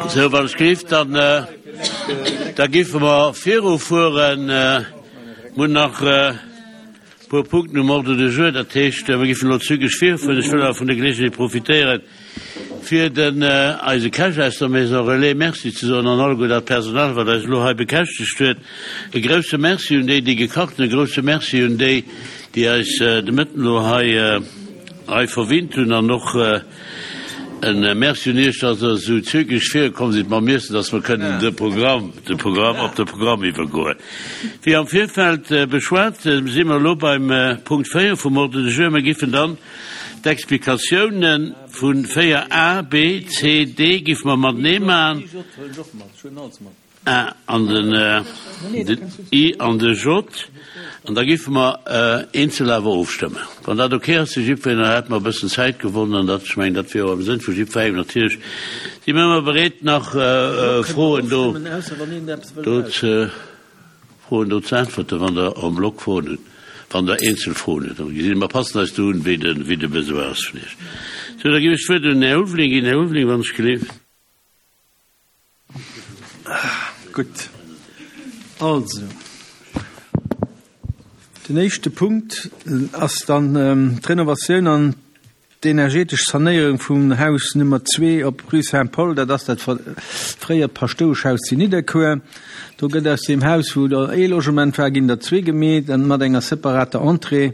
Sou, wann ech géif, dann, da géife mer virufueren. Mir hunn nach e puer Punkten um Ordre du jour. Dat heescht, mir géifen elo zügeg virfueren. Ech wëll awer vun der Geleegenheet profitéieren, fir den eise Käch aus der Maison Relais Merci ze soen an alleguer dat Personal, wat eis elo hei bekäschtegt huet. E grouse Merci un déi, déi gekacht hunn, e grouse Merci un déi, déi eis de Mëtten elo hei, hei verwinnt hunn an och, En Merci un Iech, dass Der esou zügeg virkomm sidd mam Iessen, dass mer kënnen de Programm, de Programm, op de Programm iwwergoen. Wéi am Virfeld beschwat, si mer elo beim Punkt 4 vum Ordre du jour. Mir giffen dann d'Explikatiounen vu 4 a, b, c, d giffe mer matenee maachen. A an den I an de J, an da géife mer eenzel awer ofstëmmen. Wann dat ok ass fir jiddwereen, dann hätte mer e bëssen Zäit gewonnen, an dat, ech mengen, dat wier och am Sënn vu jiddwerengem. Natierlech si mir ëmmer bereet, nach Froen do, do ze, Froen do ze äntwerten, wann Der en bloc Froen hutt, wann Der eenzel Froen hutt. Dann gesi mer, passen eis do un, wéi de, wéi de Besoin ass vun Iech. Sou, da géif ech d'Wuert un den Här Ulveling ginn. Här Ulveling, wann ech geleeft. Gutt. Also, den éischte Punkt ass dann d'Renovatioun an d'energetesch Sanéierung vum Haus Nummer 2 op Rue Saint-Paul. Dat ass dat fréiert Paschtoueschhaus zu Nidderkuer. Do gëtt aus deem Haus, wou der ee Logement war, ginn der zwee gemeet an mat enger separater Entrée.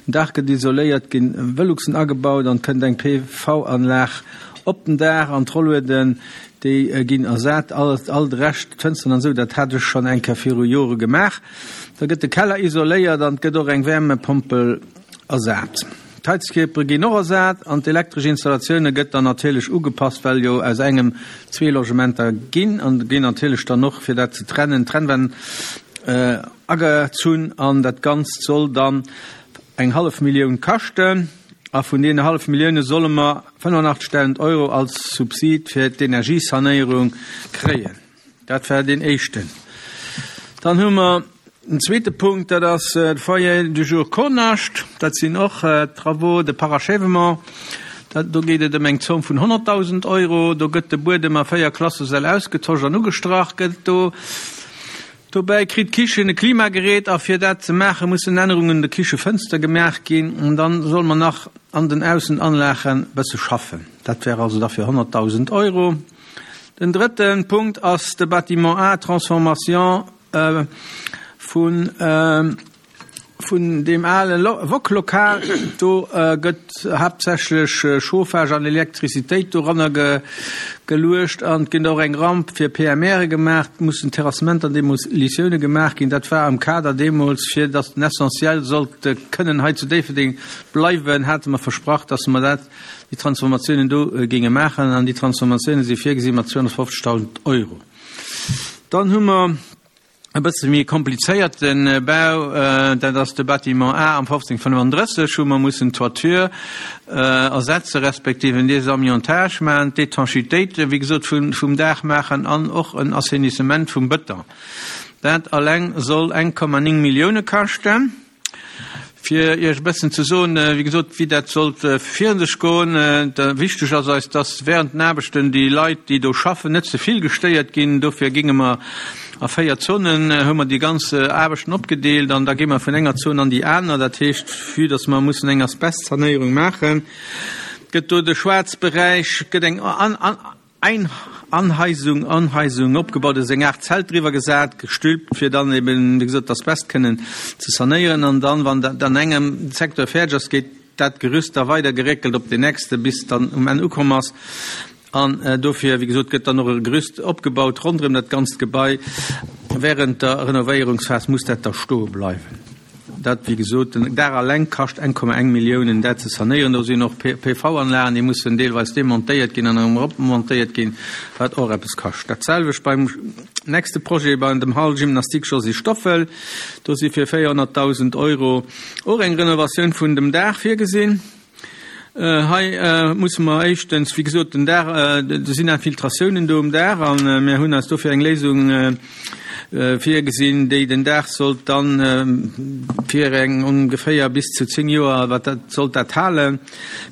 Den Daach gëtt isoléiert, ginn Veluxen agebaut an et kënnt eng PV-Anlag Op den Daach an d'Rollueden, déi ginn ersat, all, all de Rescht, d'Fënsteren an esou, dat hat ech schonn eng Kéier viru Jore gemaach. Da gëtt de Keller isoléiert an et gëtt och eng Wärmepompel ersat. D'Heizkierpere ginn och ersat an d'elektresch Installatioune gëtt dann natierlech ugepasst, well jo aus engem zwee Logementer ginn an ginn natierlech dann och, fir dat ze trennen, Trennwänn agezunn an dat Ganzt soll dann eng hallef Millioun kaschten. A vun deene hallef Millioune solle mer 85.000 Euro als Subsid fir d'Energiesanéierung kréien. Dat war deen éischten. Dann hu mer den zweete Punkt, dat ass de Foyer du jour Kohnascht. Dat sinn och Travaux de parachèvement. Dat, do geet et ëm eng Zomm vun 100.000 Euro. Do gëtt de Buedem a véier Klassesäll ausgetosch an ugestrach gëtt do. Dobäi kritt d'Kichen e Klimagerät a fir dat ze maache mussen Ännerungen un de Kichefënster gemaach ginn. An dann solle mer nach an den Aussenanlagen bësse schaffen. Dat wär also da fir 100.000 Euro. Den drëtte Punkt ass de Bâtiment A, Transformation vun. Vun deem ale Wok-Lokal, do gëtt haaptsächlech Chauffage an Elektrizitéit doranner geluecht an et gëtt och eng Ramp fir PMRe gemaach. Et mussen Terrassementer an Demolitioune gemaach ginn. Dat war am Kader deemools, fir datt den Essentiel sollt kënnen hei zu Déifferdeng bleiwen, hate mer versprach, datt mer dat, déi Transformatiounen do géinge maachen. An déi Transformatioune si virgesi mat 250.000 Euro. Dann hu mer. E bësse méi komplizéierte Bau, dat ass de Bâtiment A am 1535, wou mer mussen d'Toiture ersetze respektiv en Désamiantage maachen, d'Étanchitéit, wéi gesot, vum Daach maachen an och en Assainissement vum Bëton. Dat alleng soll 1,9 Millioune kaschten. Fir Iech e bëssen ze soen, wéi gesot, wéi dat sollt virun sech goen. Wichteg ass eis, dass während den Aarbechten déi Leit, déi do schaffen, net ze vill gestéiert ginn. Dofir géinge mer a 4 Zonen, hu mer déi ganz Aarbechten opgedeelt an da gi mer vun enger Zon an déi aner. Dat heescht, vue dass mer mussen eng Asbestsanéierung maachen, gëtt do de Schwaarzberäich, gëtt eng Eng Anheizung, Anheizung opgebaut, et ass eng Aart Zelt driwwer gesat, gestülpt, fir dann eben, wéi gesot, d'Asbest kënnen ze sanéieren. An dann, wann dat an engem Secteur fäerdeg ass, gétt dat Gerüst da weider geréckelt op deen nächste, bis et dann um Enn ukomm ass. An dofir, wéi gesot, gëtt dann och e Gerüst opgebaut ronderëm dat ganzt Gebai. Während der Renovéierungsphas muss dat da stoe bleiwen. Dat, wéi gesot, den Daach alleng kascht 1,1 Milliounen, dat ze sanéieren. Do sinn och PV-Anlagen, déi mussen deelweis demontéiert ginn an erëm eropmontéiert ginn, wat och eppes kascht. Dat selwecht beim nächste Projet, bei dem Hall Gymnastique Josy Stoffel. Do si fir 400.000 Euro och eng Renovatioun vun dem Daach virgesinn. Hei musse mer éischtens, wéi gesot, den Daach, do sinn Infiltratiounen do um Daach a mir hunn eis dofir eng Léisung. Virgesinn, déi den Daach sollt dann fir eng ongeféier bis zu 10 Joer, wat dat sollt dat halen,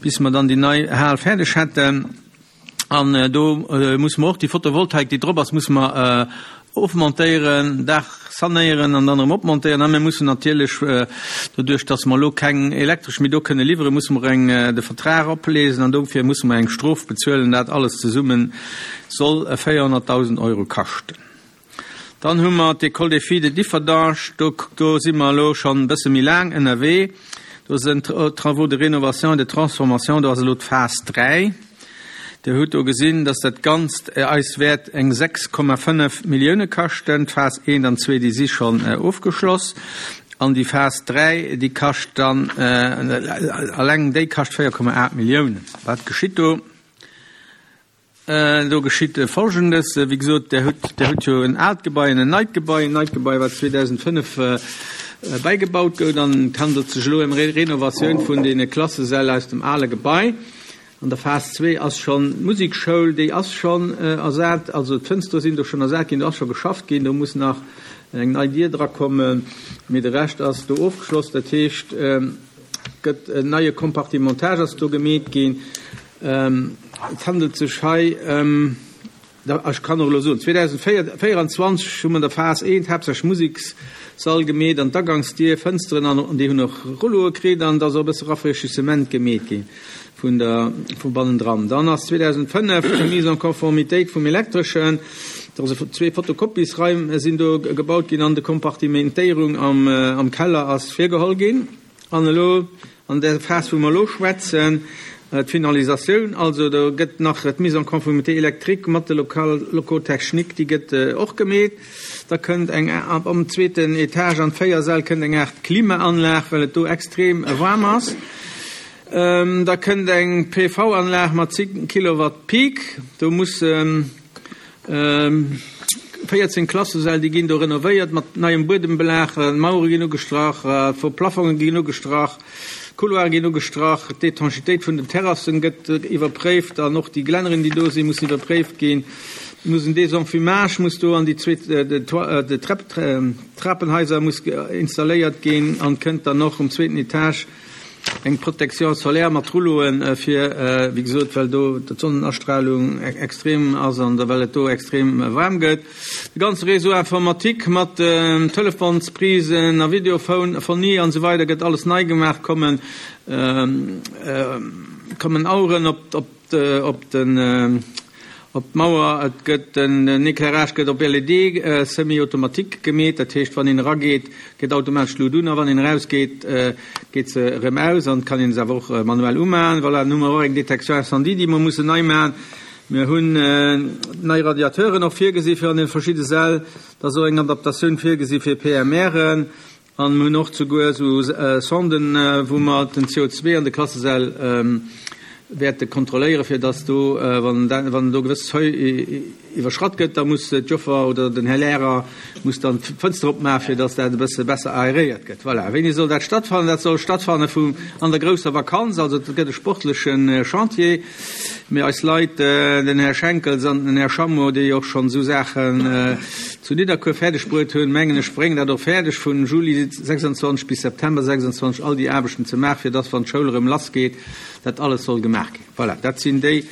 bis mer dann déi nei Hal fäerdeg hätten. An do musse mer och déi Photovoltaik, déi drop ass, musse mer ofmontéieren, Daach sanéieren an dann erëm opmontéieren. A mir mussen natierlech, doduerch datt mer elo keng Elektresch méi do kënne liwweren, musse mer eng de Vertrag opléisen an dofir musse mer eng Strof bezuelen. Dat alles zesumme soll 400.000 Euro kaschten. Dann hu mer d'École des filles de Differdange. Do, do si mer elo schonn e bësse méi laang ënnerwee. Do sinn d'Travaux de rénovation et de transformation, do ass elo d'Phas 3. Dir hutt do gesinn, dass dat Ganzt eis wäert eng 6,5 Millioune kaschten. D'Phas 1 an 2, déi si schonn ofgeschloss. An déi Phas 3, déi kascht dann, alleng déi kascht 4,8 Milliounen. Wat geschitt do? Do geschitt Folgendes, Wéi gesot, Der hutt, Der hutt jo en aalt Gebai an en neit Gebai, en neit Gebai, wat 2005 bäigebaut gouf. An et handelt sech elo ëm Renovatioun vun deene Klassesäll aus dem ale Gebai. An der Phas zwee ass schonn d'Musekschoul, déi ass schonn ersat, also d'Fënstere sinn do schonn ersat ginn, do ass scho geschafft ginn, do muss nach eng nei Dier drakommen, mee de Rescht ass do ofgeschloss. Dat heescht, et gëtt en neie Compartimentage ass do gemeet ginn. Et handelt sech hei ëm, ech kann och elo soen, 2024 hu mer an der Phas I haaptsächlech Musekssall gemeet an d'Agangsdier, Fënsteren an déi hunn och Rulloe kritt an et ass och e bësse Rafraîchissement gemeet gi vun der, vu bannendran. Dann ass 2005 d'Remise en conformitéit vum Elektreschen, do ass zwee Fotokopiesraim sinn do gebaut ginn an de Kompartimentéierung am Keller ass virgeholl ginn. An elo, an där Phas, wou mer elo schwätzen, d'Finalisatioun, also do gëtt nach d'Mise en conformité électrique mat de Locaux techniques, déi gëtt och gemeet. Da kënnt eng, am zweeten Etage an d'véier Säll kënnt eng Aart Klimaanlag, well et do extrem waarm ass. Da kënnt eng PV-Anlag mat 10 Kilowatt Peak. Do muss 14 Klassesäll, déi ginn do renovéiert mat neiem Buedembelag, d'Mauere ginn ugestrach, d'Plafonge ginn ugestrach, d'Couloire ginn ugestrach, d'Étanchitéit vun den Terrassen gëtt iwwerpréift an och déi Glänneren, déi do sinn, mussen iwwerpréift ginn. Et muss en Désenfumage muss do an déi zweet Trapenhaiser muss installéiert ginn an kënnt dann och um zweeten Etage Eng Protection solaire mat Rulloen fir, wéi gesot, well do d'Sonnenastralung extrem ass an well et do extrem waarm gëtt. De ganze Réseau informatique mat Telefonsprisen a Videophonie an esou weider gëtt alles nei gemaach, kommen kommen Aueren op op Op den op d'Mauer, et gëtt den Éclairage gëtt op LED semi-automatique gemeet, dat heescht wann een erageet, geet automatesch d'Lut un a wann een erausgeet, geet se erëm aus an et kann een se awer och manuell umaen. Voilà, dann hu mer och eng Détection incendie, déi mer mussen nei maachen. Mir hunn nei Radiateuren och virgesi fir an den verschidde Säll. Da ass och eng Adaptatioun virgesi fir PMRen. An mir hunn och souguer esou Sonden, wou mer den CO2 an de Klassesäll wäerte kontrolléieren, fir dass do, wann wann do gewëss Seuil iwwerschratt gëtt, da muss d'Joffer oder den Här Lehrer muss dann d'Fënster opmaachen, fir dass dat e bësse besser aeréiert gëtt. Voilà. Wéini soll dat stattfannen? Dat soll stattfanne vu an der grousser Vakanz. Also et gëtt e sportleche Chantier. Mee eis Leit, den Här Schenkels an den Här Schammo, déi och schonn esou Saachen zu Nidderkuer fäerdeg bruet hunn, mengen ech, bréngen dat och fäerdeg, vun Juli 26 bis September 26 all déi Aarbechten ze maachen, fir dass, wann d'Schoul erëm lassgeet, dat alles soll gemaach ginn. Voilà, dat sinn déi,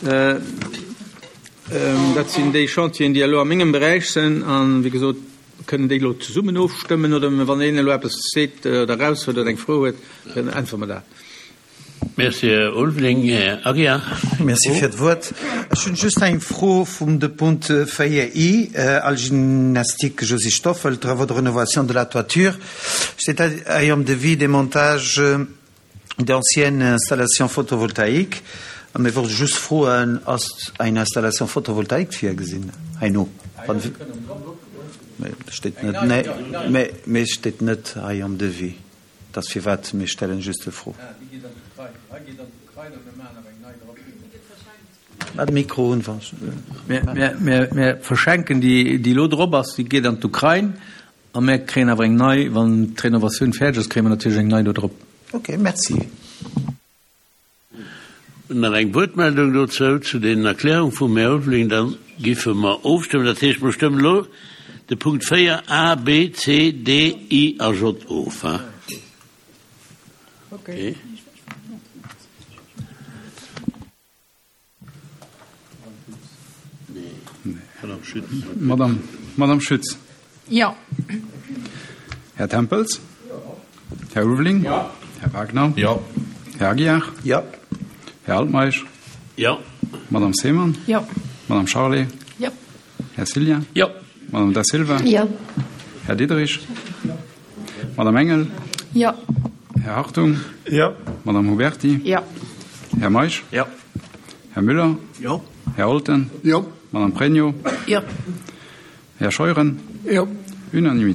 dat sinn déi Chantieren, déi elo a mengem Beräich sinn. A wéi gesot, kënnen déi elo zesummen ofstëmmen oder wann een elo eppes seet oder eraushuet oder eng Fro huet, dann äntwere mer dat. Merci, Här Ulveling. Här Aguiar. Merci fir d'Wuert. Ech hunn just eng Fro vum de Punkt 4 i, Al Gymnastique Josy Stoffel, travaux de rénovation de la toiture. Steet hei am Devis démontage d'anciennes installations photovoltaïques. A mir wollte just froen, ass eng Installation photovoltaïque virgesinn heino? Mee steet net, nee, mee steet net hei am Devis. Et ass firwat, mir stellen just de Fro. Mat Mikro un, wann. Mir verschenken déi, déi elo drop ass, déi geet an d'Ukrain a mir kréien awer eng nei, wann d'Renovatioun fäerdeg ass, kréie mer natierlech eng nei do drop. Ok, merci. Nach eng Wuertmeldung dozou, zu deenen Erklärung vum Här Ulveling? Da giffe mer ofstëmmen. Dat heescht, mer stëmmen elo. de Punkt 4 A, B, C, D, I a J of. Okay. Madame, Madame Schütz. Jo. Här Tempels. Här Ulveling. Jo. Här Wagner. Jo. Här Aguiar. Jo. Här Altmeisch. Jo. Madame Seemann. Jo. Madame Charlé. Jo. Här Cillien. Jo. Madame Da Silva. Jo. Här Diderich. Jo. Madame Engel. Jo. Här Hartung. Jo. Madame Huberti. Jo. Här Meisch. Jo. Här Müller. Jo. Här Olten. Jo. Madame Pregno. Jo. Här Scheuren. Jo. Unanimitéit.